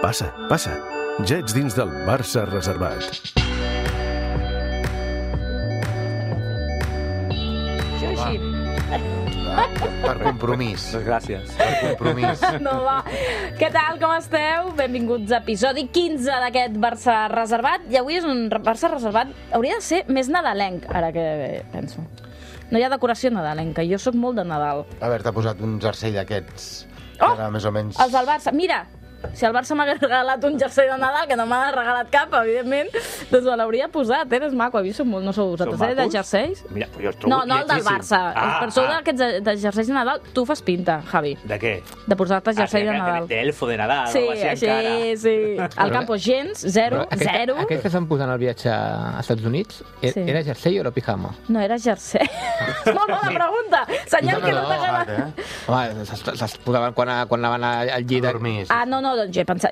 Passa, passa. Ja ets dins del Barça reservat. Jo així. Per compromís. Gràcies. Per compromís. No, va. Què tal, com esteu? Benvinguts a episodi 15 d'aquest Barça reservat. I avui és un Barça reservat... Hauria de ser més nadalenc, ara que penso. No hi ha decoració nadalenca. Jo sóc molt de Nadal. Haver-te posat un jersei d'aquests. Oh! Era més o menys... Els del Barça. Mira, si el Barça m'hagués regalat un jersei de Nadal, que no m'ha regalat cap, evidentment, doncs me l'hauria posat. És maco. Avui som molt... No sou vosaltres, de jerseis? Mira, jo els trobo No, el del Barça. Per sou d'aquests de jerseis de Nadal, tu fas pinta, Javi. De què? De posar-te jersei de Nadal. D'elfo de Nadal, Sí, o així encara. sí. Al campo gens, zero. Aquells que estan posant el viatge a Estats Units, era jersei o era pijama? No, era jersei. Molt bona pregunta. Senyal que no t'ha agradat. Home, se'ls posaven quan anaven al llit. No, doncs jo he pensat...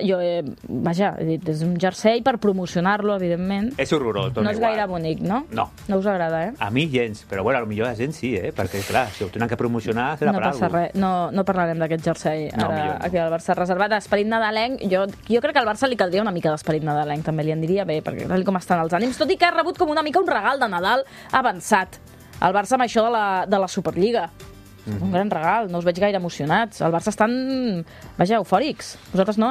Vaja, he dit, és un jersei per promocionar-lo, evidentment. És horrorós, no és gaire bonic, no? No. No us agrada, A mi gens, però bueno, potser a la gent sí, perquè clar, si ho tenen que promocionar serà no per passa res, no parlarem d'aquest jersei ara aquí al Barça reservat. Esperit nadalenc, jo crec que al Barça li caldria una mica d'esperit nadalenc, també li aniria bé, perquè tal com estan els ànims, tot i que ha rebut com una mica un regal de Nadal avançat. El Barça amb això de la Superliga. Un gran regal, no us veig gaire emocionats. El Barça estan, vaja, eufòrics. Vosaltres no,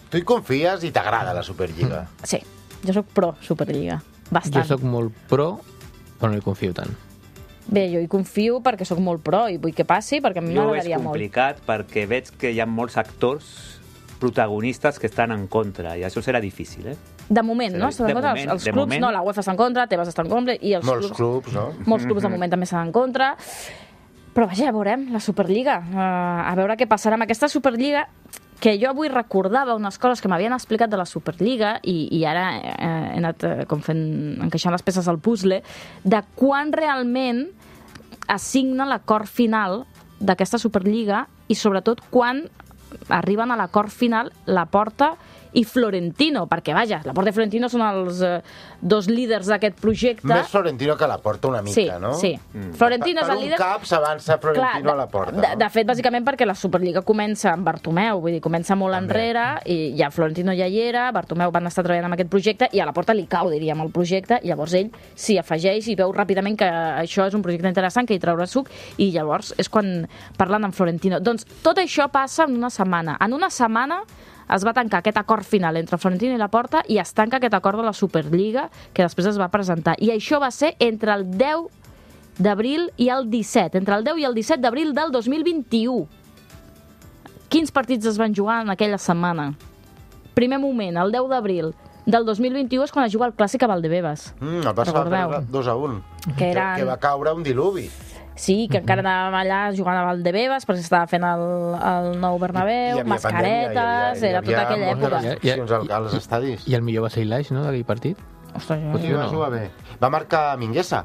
Tu hi confies i t'agrada la Superliga. Sí, jo sóc pro Superliga. Bastant. Jo sóc molt pro, però no hi confio tant. Bé, jo hi confio perquè sóc molt pro i vull que passi, perquè a mi m'agradaria molt. Jo ho veig complicat perquè veig que hi ha molts actors protagonistes que estan en contra, i això serà difícil, De moment, no? Els clubs, no, la UEFA està en contra, Tebas està en contra, i els molts clubs, no? Molts clubs de moment també estan en contra. Però vaja, ja veurem, la Superliga. A veure què passarà amb aquesta Superliga, que jo avui recordava unes coses que m'havien explicat de la Superliga i ara he anat com encaixant les peces al puzzle, de quan realment es signa l'acord final d'aquesta Superliga i sobretot quan arriben a l'acord final Laporta i Florentino, perquè vaja, Laporta i Florentino són els dos líders d'aquest projecte. Més Florentino que Laporta una mica, no? Sí. Florentino és el líder... Per un cap s'avança Florentino a Laporta. De fet, bàsicament perquè la Superliga comença amb Bartomeu, vull dir, comença molt enrere, i ja Florentino ja hi era, Bartomeu van estar treballant amb aquest projecte, i a Laporta li cau, diríem, el projecte, i llavors ell s'hi afegeix i veu ràpidament que això és un projecte interessant, que hi traurà suc, i llavors és quan parlen amb Florentino. Doncs tot això passa en una setmana. En una setmana es va tancar aquest acord final entre Florentino i Laporta i es tanca aquest acord de la Superliga que després es va presentar. I això va ser entre el 10 d'abril i el 17, entre el 10 i el 17 d'abril del 2021. Quins partits es van jugar en aquella setmana? Primer moment, el 10 d'abril del 2021 és quan es juga el Clàssic a Valdebebas. El Barça va perdre 2-1. Que va caure un diluvi. Sí, que encara anàvem allà jugant a Valdebebas perquè s'estava fent el nou Bernabéu, mascaretes, era tota aquella època. Hi havia moltes als estadis. I el millor va ser Ilaix, no, d'aquell partit? Ostres, va jugar bé. Va marcar Mingueza.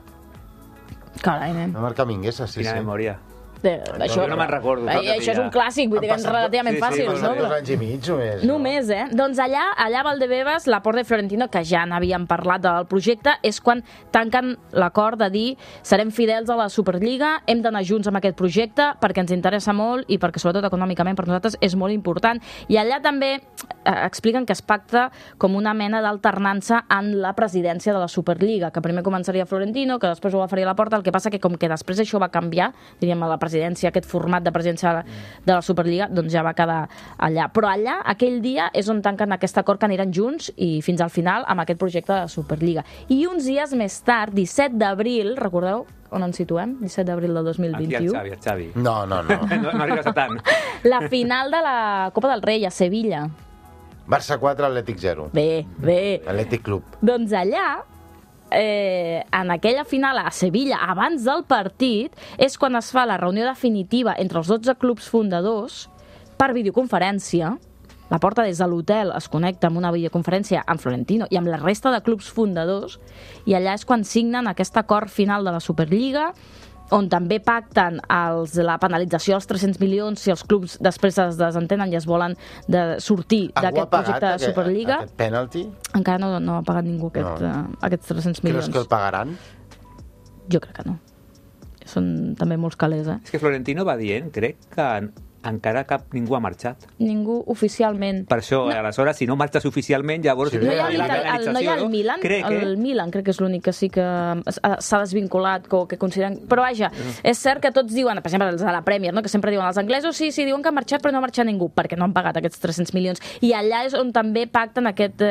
Carai, nen. Va marcar Mingueza, sí. Quina memòria. Això no me'n recordo. Això és un clàssic, vull dir que és relativament fàcil, no? Sí, 2 anys i mig només. Només, Doncs allà a Valdebebas, Laporta i Florentino, que ja n'havíem parlat del projecte, és quan tanquen l'acord de dir serem fidels a la Superliga, hem d'anar junts amb aquest projecte perquè ens interessa molt i perquè sobretot econòmicament per nosaltres és molt important. I allà també expliquen que es pacta com una mena d'alternança en la presidència de la Superliga, que primer començaria Florentino, que després ho faria Laporta, el que passa que com que després això va canviar, diríem, a la presidència, aquest format de presidència de la Superliga, doncs ja va quedar allà. Però allà, aquell dia, és on tanquen aquest acord que aniran junts i fins al final amb aquest projecte de la Superliga. I uns dies més tard, 17 d'abril, recordeu on ens situem? 17 d'abril del 2021. Aquí el Xavi. No. No arribes a tant. La final de la Copa del Rei a Sevilla. Barça 4, Atlètic 0. Bé. Atlètic Club. Doncs allà, en aquella final a Sevilla, abans del partit, és quan es fa la reunió definitiva entre els 12 clubs fundadors per videoconferència. Laporta des de l'hotel es connecta amb una videoconferència amb Florentino i amb la resta de clubs fundadors, i allà és quan signen aquest acord final de la Superliga, on també pacten la penalització dels 300 milions si els clubs després es desentenen i es volen sortir d'aquest projecte de Superliga. Aquest penalti? Encara no ha pagat ningú aquests 300 milions. Creus que el pagaran? Jo crec que no. són també molts calés, És que Florentino va dient, crec que encara ningú ha marxat. Ningú oficialment. Per això, aleshores, si no marxes oficialment, llavors... No hi ha el Milan? El Milan crec que és l'únic que sí que s'ha desvinculat, que consideren... Però vaja, és cert que tots diuen, per exemple, els de la Premier, que sempre diuen els anglesos, sí, diuen que han marxat, però no ha marxat ningú, perquè no han pagat aquests 300 milions. I allà és on també pacten aquest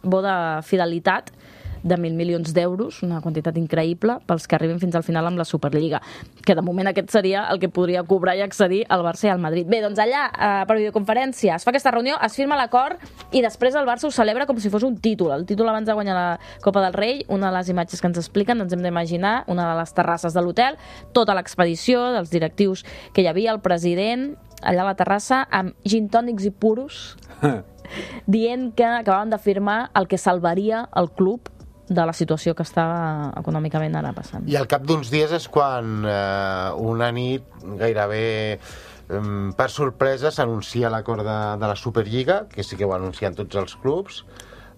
bo de fidelitat de 1.000 milions d'euros, una quantitat increïble pels que arriben fins al final amb la Superliga, que de moment aquest seria el que podria cobrar i accedir al Barça i al Madrid. Bé, doncs allà, per videoconferència, es fa aquesta reunió, es firma l'acord i després el Barça ho celebra com si fos un títol. El títol abans de guanyar la Copa del Rei, una de les imatges que ens expliquen, ens hem d'imaginar, una de les terrasses de l'hotel, tota l'expedició dels directius que hi havia, el president, allà a la terrassa, amb gin tònics i puros, dient que acabaven de firmar el que salvaria el club de la situació que estava econòmicament ara passant. I al cap d'uns dies és quan una nit gairebé per sorpresa s'anuncia l'acord de la Superliga, que sí que ho anuncien tots els clubs,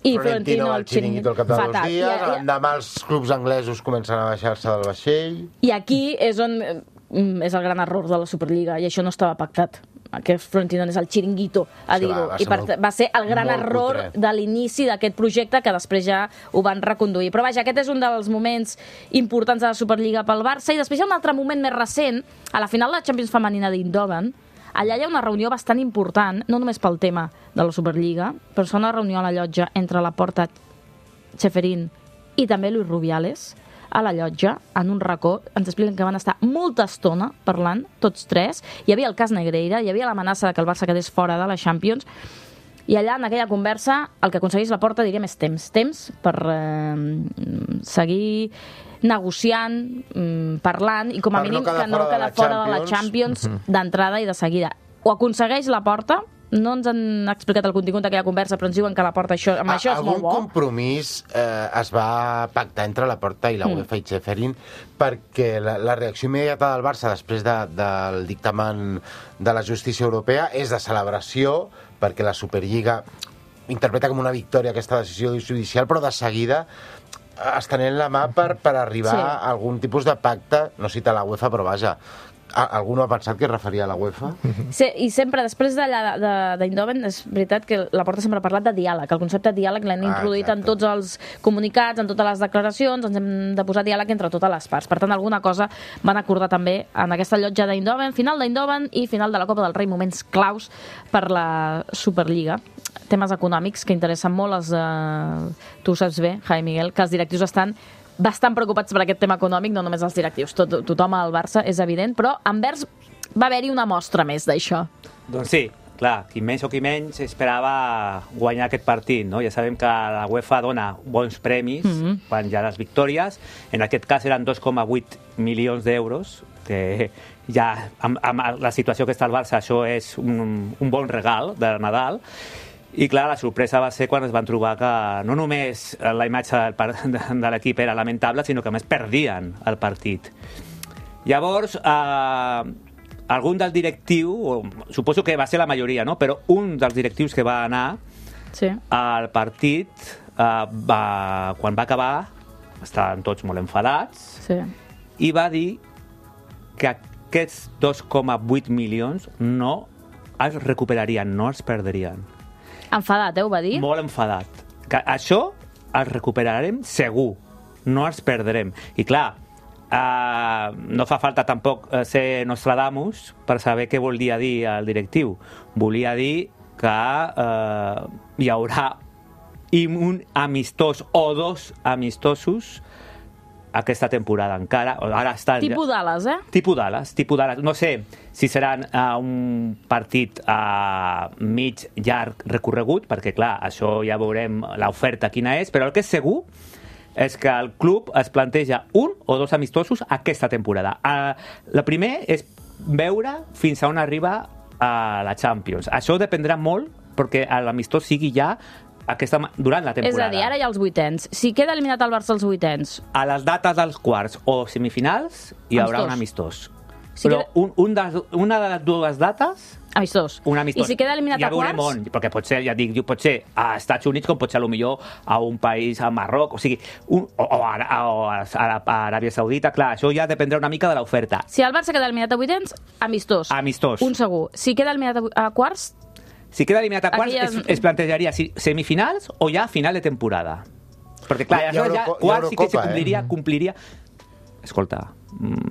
i Florentino el xiringuito al cap de 2 dies, l'endemà els clubs anglesos comencen a baixar-se del vaixell... I aquí és on és el gran error de la Superliga, i això no estava pactat. Que Florentino és el xiringuito, a dir-ho. I va ser el gran error de l'inici d'aquest projecte, que després ja ho van reconduir. Però vaja, aquest és un dels moments importants de la Superliga pel Barça. I després hi ha un altre moment més recent, a la final de la Champions femenina d'Eindhoven. Allà hi ha una reunió bastant important, no només pel tema de la Superliga, però és una reunió a la llotja entre Laporta, Ceferin i també Luis Rubiales, a la llotja, en un racó. Ens expliquen que van estar molta estona parlant, tots tres. Hi havia el cas Negreira, hi havia l'amenaça de que el Barça quedés fora de la Champions, i allà, en aquella conversa, el que aconsegueix Laporta, diríem, és temps per seguir negociant, parlant, i com a mínim que no quedar fora de la Champions d'entrada i de seguida. Ho aconsegueix Laporta. No ens han explicat el contingut d'aquella conversa, però ens diuen que Laporta això és molt bo. Algun compromís es va pactar entre Laporta i la UEFA i Ceferin, perquè la reacció immediata del Barça després del dictamen de la justícia europea és de celebració, perquè la Superliga interpreta com una victòria aquesta decisió judicial, però de seguida estenent la mà per arribar a algun tipus de pacte, no cita la UEFA, però vaja, algú no ha pensat que es referia a la UEFA? Sí, i sempre, després d'Eindhoven, és veritat que Laporta sempre ha parlat de diàleg. El concepte de diàleg l'hem introduït en tots els comunicats, en totes les declaracions, ens hem de posar diàleg entre totes les parts. Per tant, alguna cosa van acordar també en aquesta llotja d'Eindhoven, final d'Eindhoven i final de la Copa del Rei, moments claus per la Superliga. Temes econòmics que interessen molt, tu ho saps bé, Javi Miguel, que els directius estan bastant preocupats per aquest tema econòmic, no només els directius, tothom al Barça, és evident, però a Anvers va haver-hi una mostra més d'això. Doncs sí, clar, qui més o qui menys esperava guanyar aquest partit, no? Ja sabem que la UEFA dona bons premis quan hi ha les victòries, en aquest cas eren 2,8 milions d'euros, que ja amb la situació que està al Barça això és un bon regal de Nadal. I clar, la sorpresa va ser quan es van trobar que no només la imatge de l'equip era lamentable, sinó que a més perdien el partit. Llavors, algun del directiu, suposo que va ser la majoria, no? Però un dels directius que va anar al partit, quan va acabar, estaven tots molt enfadats, i va dir que aquests 2,8 milions no es recuperarien, no es perdrien. Enfadat, ho va dir? Molt enfadat. Que això el recuperarem segur, no els perdrem. I clar, no fa falta tampoc ser Nostradamus per saber què volia dir el directiu. Volia dir que hi haurà un amistós o dos amistosos aquesta temporada encara. Ara està... Tipus Dallas, Tipus Dallas. No sé si seran un partit mig llarg recorregut, perquè clar, això ja veurem l'oferta quina és, però el que és segur és que el club es planteja un o dos amistosos aquesta temporada. La primer és veure fins a on arriba a la Champions. Això dependrà molt perquè l'amistós sigui ja durant la temporada. És a dir, ara hi ha els vuitens. Si queda eliminat el Barça als vuitens... A les dates dels quarts o semifinals hi haurà un amistós. Però una de les dues dates... Amistós. Un amistós. I si queda eliminat a quarts? Perquè pot ser, ja dic, pot ser a Estats Units com pot ser potser a un país, a Marroc, o sigui, a Aràbia Saudita, clar, això ja dependrà una mica de l'oferta. Si el Barça queda eliminat a vuitens, amistós. Amistós. Un segur. Si queda eliminat a quarts... Si queda eliminat a quarts, es plantejaria si semifinals o ja final de temporada. Perquè, clar, ja quarts sí que se compliria... Escolta,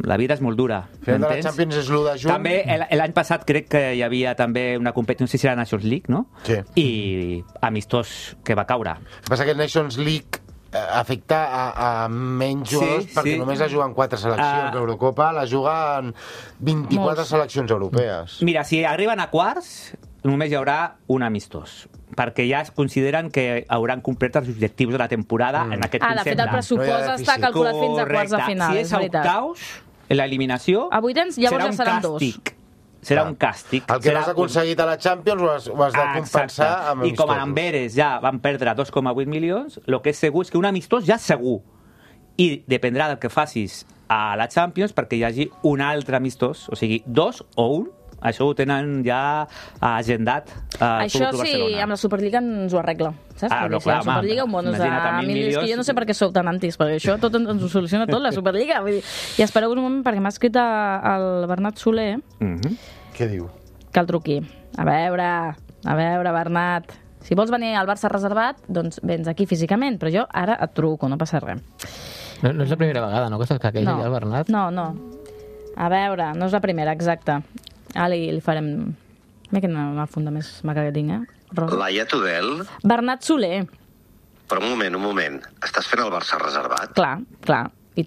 la vida és molt dura. Final de la Champions és l'1 de juny. També l'any passat crec que hi havia també una competició, no sé si era Nations League, no? Sí. I amistós que va caure. El que passa que Nations League afecta a menys jugadors perquè només la juguen 4 seleccions. L'Eurocopa la juguen 24 seleccions europees. Mira, si arriben a quarts, només hi haurà un amistós, perquè ja es consideren que hauran complert els objectius de la temporada en aquest concepte. De fet, el pressupost està calculat fins a quarts de final. Si és a octaus, l'eliminació, a vuitens, llavors ja seran dos. Serà un càstig. El que no has aconseguit a la Champions ho has de compensar amb amistosos. I com a Amberes ja van perdre 2,8 milions, el que és segur és que un amistós ja és segur. I dependrà del que facis a la Champions perquè hi hagi un altre amistós, o sigui, 2 o 1. Això ho tenen ja agendat. Això sí, amb la Superliga ens ho arregla. Saps? No, clar, la Superliga, un bonus de 1.000 milions, que jo no sé per què sou tan antis, perquè això tot ens ho soluciona tot, la Superliga. Vull dir, i espereu un moment, perquè m'ha escrit el Bernat Soler. Què diu? Que el truqui. A veure, Bernat, si vols venir al Barça reservat, doncs vens aquí físicament, però jo ara et truco, no passa res. No és la primera vegada, no? Que se'l caqueja ja el Bernat? No. A veure, no és la primera, exacte. Ara li farem... Mira quina funda més maca que tinc, Rosa. Laia Tudel? Bernat Soler. Però un moment. Estàs fent el Barça reservat? Clar. I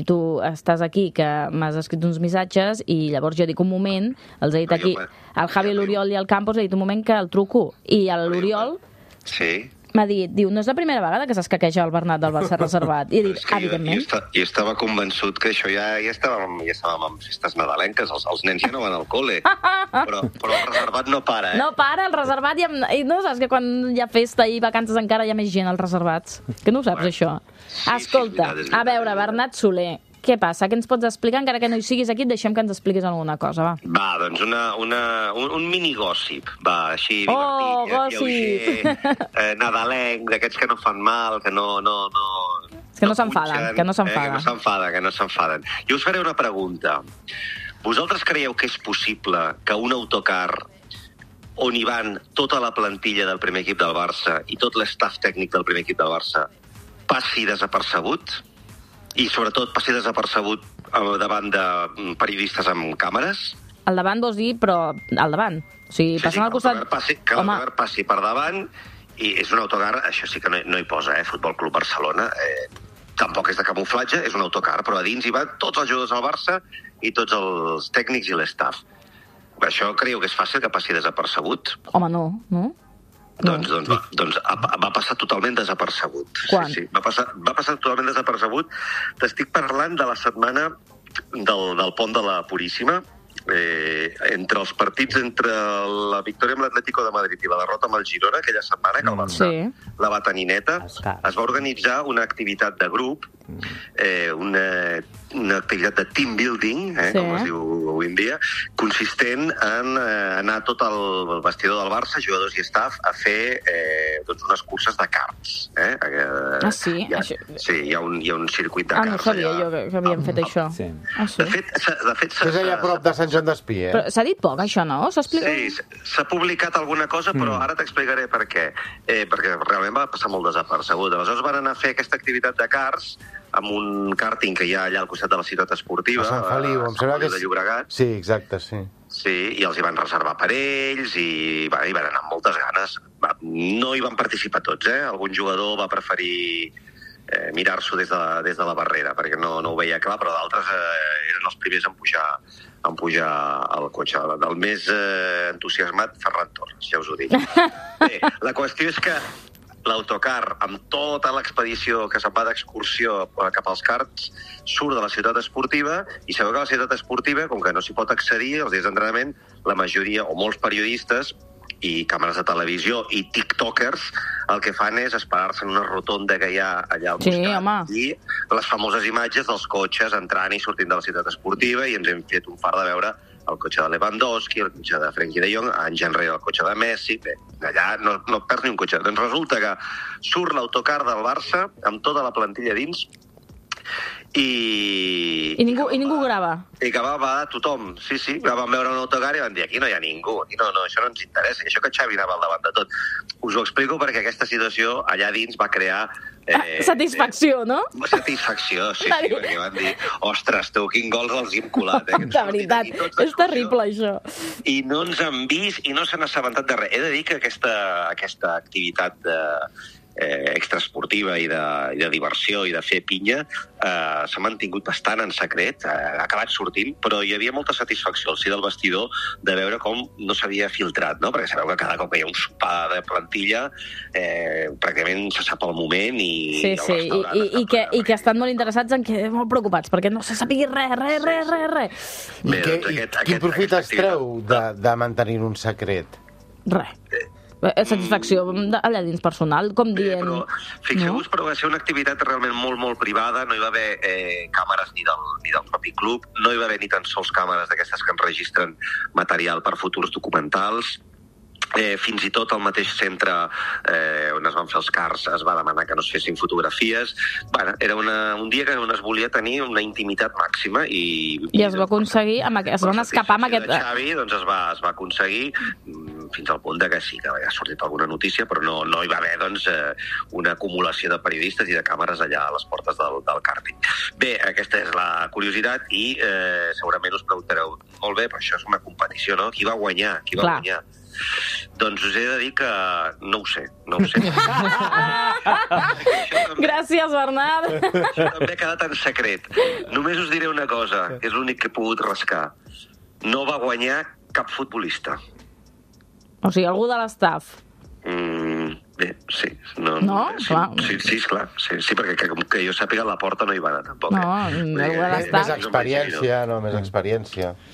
tu estàs aquí, que m'has escrit uns missatges, i llavors jo dic un moment, els he dit aquí, el Javi, l'Oriol i el Campos, he dit un moment que el truco. I l'Oriol... Sí. M'ha dit, no és la primera vegada que s'escaqueja el Bernat del Barça reservat. I he dit, evidentment. Jo estava convençut que això ja estàvem en festes nadalenques, els nens ja no van al col·le. Però el reservat no para, No para, el reservat, i no saps que quan hi ha festa i vacances encara hi ha més gent als reservats? Que no ho saps, això? Escolta, a veure, Bernat Soler, què passa? Què ens pots explicar? Encara que no hi siguis aquí, deixem que ens expliquis alguna cosa, va. Va, doncs un mini-gòssip, va, així divertit, lleuger, nadalenc, d'aquests que no fan mal, que no... Que no s'enfaden. Que no s'enfaden. Jo us faré una pregunta. Vosaltres creieu que és possible que un autocar on hi van tota la plantilla del primer equip del Barça i tot l'estaf tècnic del primer equip del Barça passi desapercebut? I, sobretot, passi desapercebut davant de periodistes amb càmeres? Al davant vols dir, però al davant. O sigui, passant al costat... Que l'autocar passi per davant, i és un autocar, això sí que no hi posa, Futbol Club Barcelona, tampoc és de camuflatge, és un autocar, però a dins hi van tots els jugadors del Barça i tots els tècnics i l'estaf. Això creieu que és fàcil que passi desapercebut? Home, no. Doncs va passar totalment desapercebut. Quan? Sí. Va passar totalment desapercebut. T'estic parlant de la setmana del pont de la Puríssima, entre els partits entre la victòria amb l'Atlético de Madrid i la derrota amb el Girona, aquella setmana que el Barça la va tenir neta, es va organitzar una activitat de grup, una activitat de team building, com es diu avui en dia, consistent en anar a tot el vestidor del Barça, jugadors i staff, a fer unes curses de karts. Sí? Sí, hi ha un circuit de karts. No sabia jo que havíem fet això. De fet, és allà a prop de Sant Joan d'Espí, Però s'ha dit poc, això, no? Sí, s'ha publicat alguna cosa, però ara t'explicaré per què. Perquè realment va passar molt desapercebut. Aleshores van anar a fer aquesta activitat de karts amb un kàrting que hi ha allà al costat de la ciutat esportiva, a Sant Feliu, em sembla que és... de Llobregat. Sí, exacte, sí. Sí, i els hi van reservar per ells i van anar amb moltes ganes. No hi van participar tots, Algun jugador va preferir mirar-s'ho des de la barrera, perquè no ho veia clar, però d'altres eren els primers en pujar al cotxe. El més entusiasmat, Ferran Torres, ja us ho dic. Bé, la qüestió és que l'autocar, amb tota l'expedició que se'n va d'excursió cap als karts, surt de la ciutat esportiva, i sabeu que a la ciutat esportiva, com que no s'hi pot accedir, els dies d'entrenament, la majoria, o molts periodistes, i càmeres de televisió i tiktokers el que fan és esperar-se en una rotonda que hi ha allà al costat i les famoses imatges dels cotxes entrant i sortint de la ciutat esportiva, i ens hem fet un fart de veure el cotxe de Lewandowski, el cotxe de Frenkie de Jong, anys enrere el cotxe de Messi. Bé, allà no perds ni un cotxe. Doncs resulta que surt l'autocar del Barça amb tota la plantilla dins i ningú grava. I que va tothom, sí, que van veure un autocar i van dir, aquí no hi ha ningú, aquí no, això no ens interessa, i això que Xavi anava al davant de tot. Us ho explico perquè aquesta situació allà dins va crear... satisfacció, no? Satisfacció, sí, perquè van dir, ostres, tu, quin gols els hi hem colat. De veritat, és terrible, això. I no ens han vist i no s'han assabentat de res. He de dir que aquesta activitat extraesportiva i de diversió i de fer pinya s'ha mantingut bastant en secret, ha acabat sortint, però hi havia molta satisfacció al si del vestidor de veure com no s'havia filtrat, no? Perquè sabeu que cada cop que hi ha un sopar de plantilla pràcticament se sap el moment i que estan molt interessats molt preocupats, perquè no se sàpigui res. Quin profit es treu de mantenir un secret? Res. Satisfacció allà dins personal, com dient... Però fixeu-vos, però va ser una activitat realment molt, molt privada, no hi va haver càmeres ni del propi club, no hi va haver ni tan sols càmeres d'aquestes que enregistren material per futurs documentals. Fins i tot al mateix centre on es van fer els cars es va demanar que no es fessin fotografies. Bueno, era un dia que on es volia tenir una intimitat màxima i es va aconseguir, es van escapar amb aquest... Xavi, doncs es va aconseguir fins al punt que sí, que ha sortit alguna notícia, però no hi va haver doncs, una acumulació de periodistes i de càmeres allà a les portes del càrting. Bé, aquesta és la curiositat i segurament us preguntareu, molt bé, però això és una competició, no? Qui va guanyar? Doncs us he de dir que no ho sé. Gràcies, Bernat. Això també ha quedat en secret. Només us diré una cosa, que és l'únic que he pogut rascar. No va guanyar cap futbolista. O sigui, algú de l'estaf. Bé, sí. No? Clar. Sí, clar. Sí, perquè que jo sàpiga, la porta no hi va anar, tampoc. No, algú de l'estaf. Més experiència.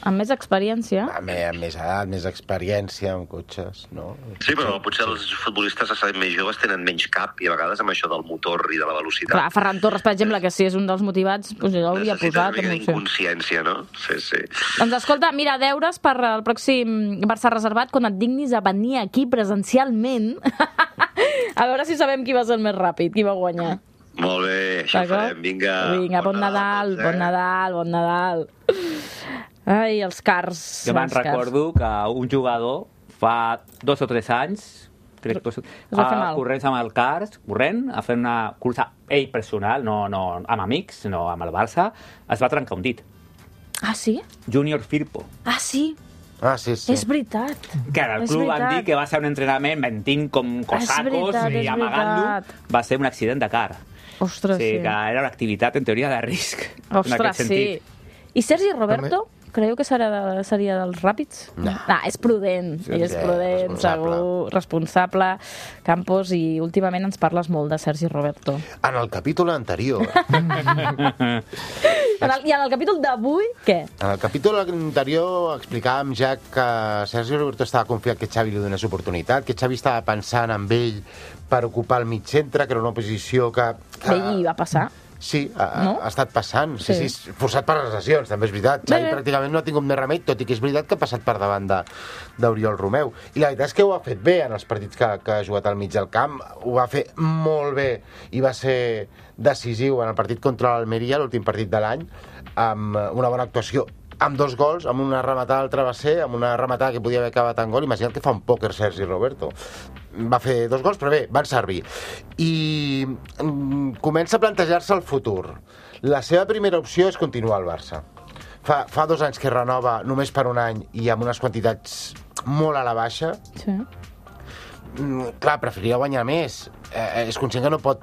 Amb més experiència? Amb més edat, més experiència amb cotxes, no? Sí, però potser els futbolistes més joves tenen menys cap i a vegades amb això del motor i de la velocitat. Clar, Ferran Torres, per exemple, que si és un dels motivats, doncs jo l'hauria posat. Necessita una mica d'inconsciència, no? Sí. Doncs escolta, mira, deures per al pròxim Barça reservat, quan et dignis a venir aquí presencialment, a veure si sabem qui va ser el més ràpid, qui va guanyar. Molt bé, això ho farem. Vinga, bon Nadal. Ai, els cars. Jo me'n recordo que un jugador fa 2 o 3 anys corrents amb el cars, a fer una cursa ell personal, no amb amics, no amb el Barça, es va trencar un dit. Ah, sí? Junior Firpo. Ah, sí? Sí. És veritat. Que el club van dir que va ser un entrenament mentint com cosacos i amagant-lo. Va ser un accident de car. Ostres, sí. Que era una activitat, en teoria, de risc. Ostres, sí. I Sergi Roberto? Creieu que seria dels ràpids? No. És prudent, segur, responsable. Campos, i últimament ens parles molt de Sergi Roberto. En el capítol anterior... I en el capítol d'avui, què? En el capítol anterior explicàvem ja que Sergi Roberto estava confiat que Xavi li donés oportunitat, que Xavi estava pensant en ell per ocupar el mig centre, que era una posició que... I va passar. Sí, ha estat passant. Sí, forçat per les lesions, també és veritat. Xavi pràcticament no ha tingut més remei, tot i que és veritat que ha passat per davant d'Oriol Romeu. I la veritat és que ho ha fet bé en els partits que ha jugat al mig del camp. Ho va fer molt bé i va ser decisiu en el partit contra l'Almeria, l'últim partit de l'any, amb una bona actuació, amb 2 gols, amb una rematada al travesser, amb una rematada que podia haver acabat en gol. Imagina't que fa un pòquer Sergi Roberto. Va fer 2 gols, però bé, van servir. I comença a plantejar-se el futur. La seva primera opció és continuar al Barça. Fa 2 anys que renova només per un any i amb unes quantitats molt a la baixa. Sí. Clar, preferiria guanyar més. És conscient que no pot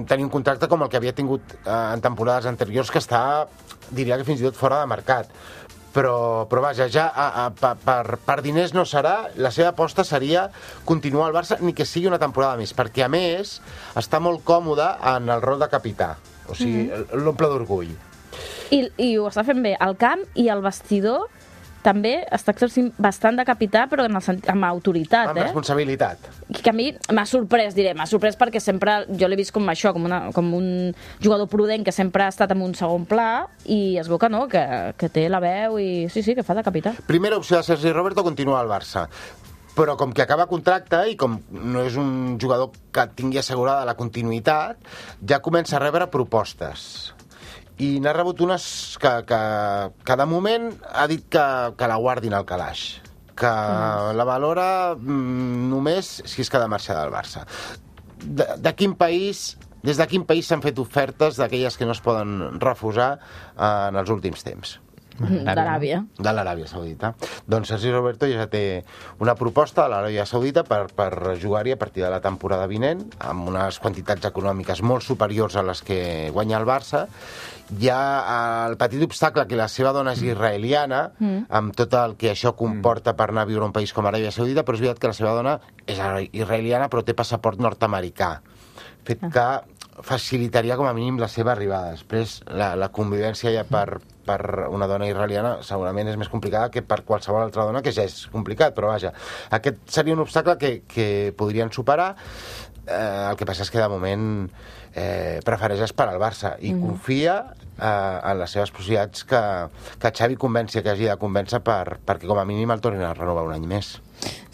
tenir un contracte com el que havia tingut en temporades anteriors, que està, diria que fins i tot fora de mercat. Però vaja, ja per diners no serà. La seva aposta seria continuar al Barça, ni que sigui una temporada més, perquè a més està molt còmode en el rol de capità, o sigui, l'omple d'orgull. I ho està fent bé al camp, i el vestidor també està exercint bastant de capità, però amb autoritat, Amb responsabilitat. Que a mi m'ha sorprès, m'ha sorprès perquè sempre jo l'he vist com això, com un jugador prudent que sempre ha estat en un segon pla, i es veu que no, que té la veu i sí, que fa de capità. Primera opció de Sergi Roberto, continua al Barça. Però com que acaba contracte i com no és un jugador que tingui assegurada la continuïtat, ja comença a rebre propostes. I n'ha rebut unes que de moment ha dit que la guardin al calaix, que la valora només si és que ha de marxar del Barça. De quin país... Des de quin país s'han fet ofertes d'aquelles que no es poden refusar en els últims temps? D'Aràbia. De l'Aràbia Saudita. Doncs Sergi Roberto ja té una proposta a l'Aràbia Saudita per jugar-hi a partir de la temporada vinent, amb unes quantitats econòmiques molt superiors a les que guanya el Barça. Hi ha el petit obstacle que la seva dona és israeliana, amb tot el que això comporta per anar a viure a un país com Aràbia Saudita, però és veritat que la seva dona és israeliana però té passaport nord-americà, fet que facilitaria com a mínim la seva arribada. Després, la convivència ja per una dona israeliana segurament és més complicada que per qualsevol altra dona, que ja és complicat, però vaja, aquest seria un obstacle que podrien superar. El que passa és que de moment prefereix esperar al Barça i confia en les seves possibilitats que Xavi convenci, que hagi de convèncer perquè com a mínim el tornin a renovar un any més.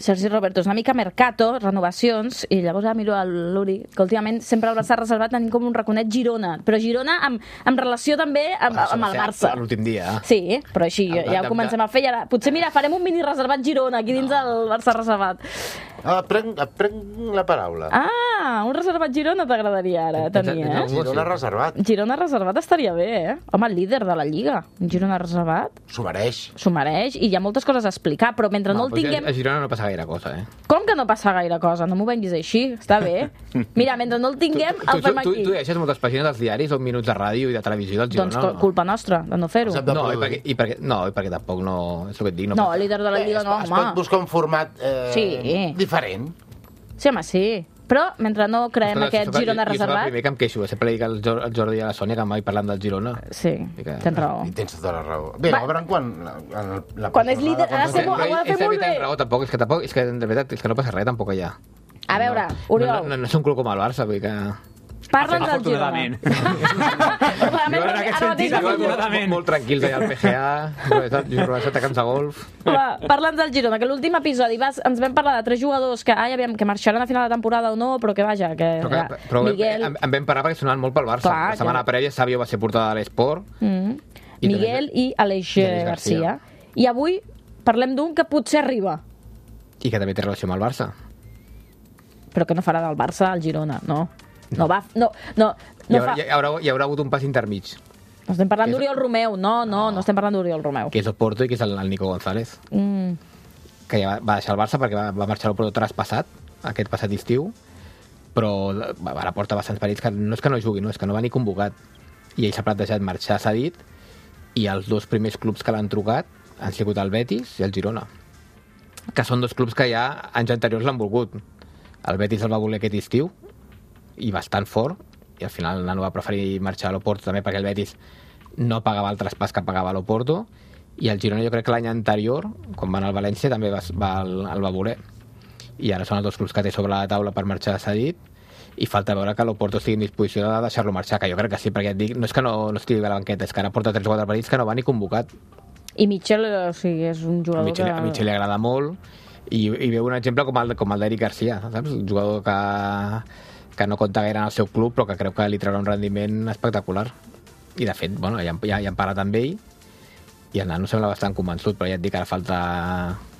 Sergi Roberto és una mica mercato, renovacions, i llavors miro a l'Uri, que últimament sempre el Barça reservat tenim com un raconet Girona, però Girona amb relació també amb el Barça. L'últim dia. Sí, però així ja ho comencem a fer i ara potser, mira, farem un mini reservat Girona aquí dins del Barça reservat. Prenc la paraula. Un reservat Girona t'agradaria ara tenir, Girona reservat. Girona reservat estaria bé, Home, el líder de la Lliga, Girona reservat. S'ho mereix. S'ho mereix, i hi ha moltes coses a explicar, però mentre no el tinguem... A Girona no passa gaire cosa, Com que no passa gaire cosa? No m'ho venguis així, està bé. Mira, mentre no el tinguem, el fem aquí. Tu deixes moltes pàgines dels diaris o minuts de ràdio i de televisió del Girona? Doncs culpa nostra, de no fer-ho. I perquè tampoc no... És el que et dic. No, el líder de la Lliga no, home. Es pot buscar un format diferent. Sí, home, sí. Però mentre no creem aquest Girona reservat... Jo soc el primer que em queixo, sempre dic al Jordi i a la Sònia que mai parlant del Girona. Sí, tens raó. I tens tota la raó. Bé, veurem quan... Quan és líder, ha de fer molt bé. Tampoc, és que de veritat, és que no passa res tampoc allà. A veure, Oriol... No és un club com el Barça, vull dir que... Parla'ns del Girona. Molt tranquils allà al PGA, jugant a camps de golf. Parla'ns del Girona, que l'últim episodi ens vam parlar de 3 jugadors que que marxaran a final de temporada o no, però que vaja, que però Miguel... En vam parlar perquè sonaven molt pel Barça. La setmana prèvia Savio va ser portada de l'Esport. Miguel i Aleix Garcia. I avui parlem d'un que potser arriba. I que també té relació amb el Barça. Però que no farà del Barça al Girona, no? No va... Hi haurà hagut un pas intermig. No estem parlant d'Oriol Romeu, no estem parlant d'Oriol Romeu. Que és el Porto i que és el Nico González. Que ja va deixar el Barça perquè va marxar al Porto traspassat, aquest passat estiu, però ara porta bastants perills que no és que no jugui, és que no va ni convocat. I ell s'ha plantejat marxar cedit i els 2 primers clubs que l'han trucat han sigut el Betis i el Girona, que són 2 clubs que ja anys anteriors l'han volgut. El Betis el va voler aquest estiu i bastant fort, i al final el nano va preferir marxar a l'Oporto també perquè el Betis no pagava el traspàs que pagava a l'Oporto, i el Girona jo crec que l'any anterior, quan va anar al València, també el va voler. I ara són els 2 clubs que té sobre la taula per marxar cedit, i falta veure que l'Oporto estigui en disposició de deixar-lo marxar, que jo crec que sí, perquè et dic, no és que no estigui a la banqueta, és que ara porta 3 o 4 partits que no va ni convocat. I Mitchell, o sigui, és un jugador que... A Mitchell li agrada molt, i veu un exemple com el d'Eric Garcia, saps? Un jugador que no compta gaire en el seu club, però que creu que li traurà un rendiment espectacular. I, de fet, ja han parlat amb ell, i el nano sembla bastant convençut, però ja et dic que ara falta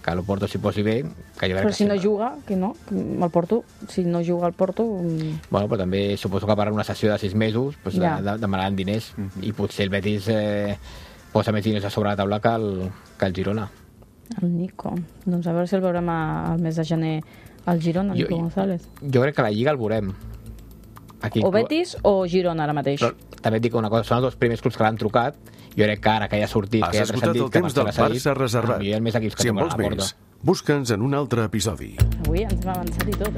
que l'Oporto s'hi posi bé. Però si no juga, que no? El Porto, si no juga al Porto... Bueno, però també suposo que per una sessió de 6 mesos demanaran diners, i potser el Betis posa més diners a sobre la taula que el Girona. El Nico. Doncs a veure si el veurem al mes de gener al Girona, Nico González. Jo crec que la Lliga el veurem. O Betis o Girona ara mateix. Però també et dic una cosa, són els 2 primers clubs que l'han trucat. Jo crec que ara que ja ha sortit... Has escoltat el temps del Barça reservat. Si en vols més, busca'ns en un altre episodi. Avui ens hem avançat i tot,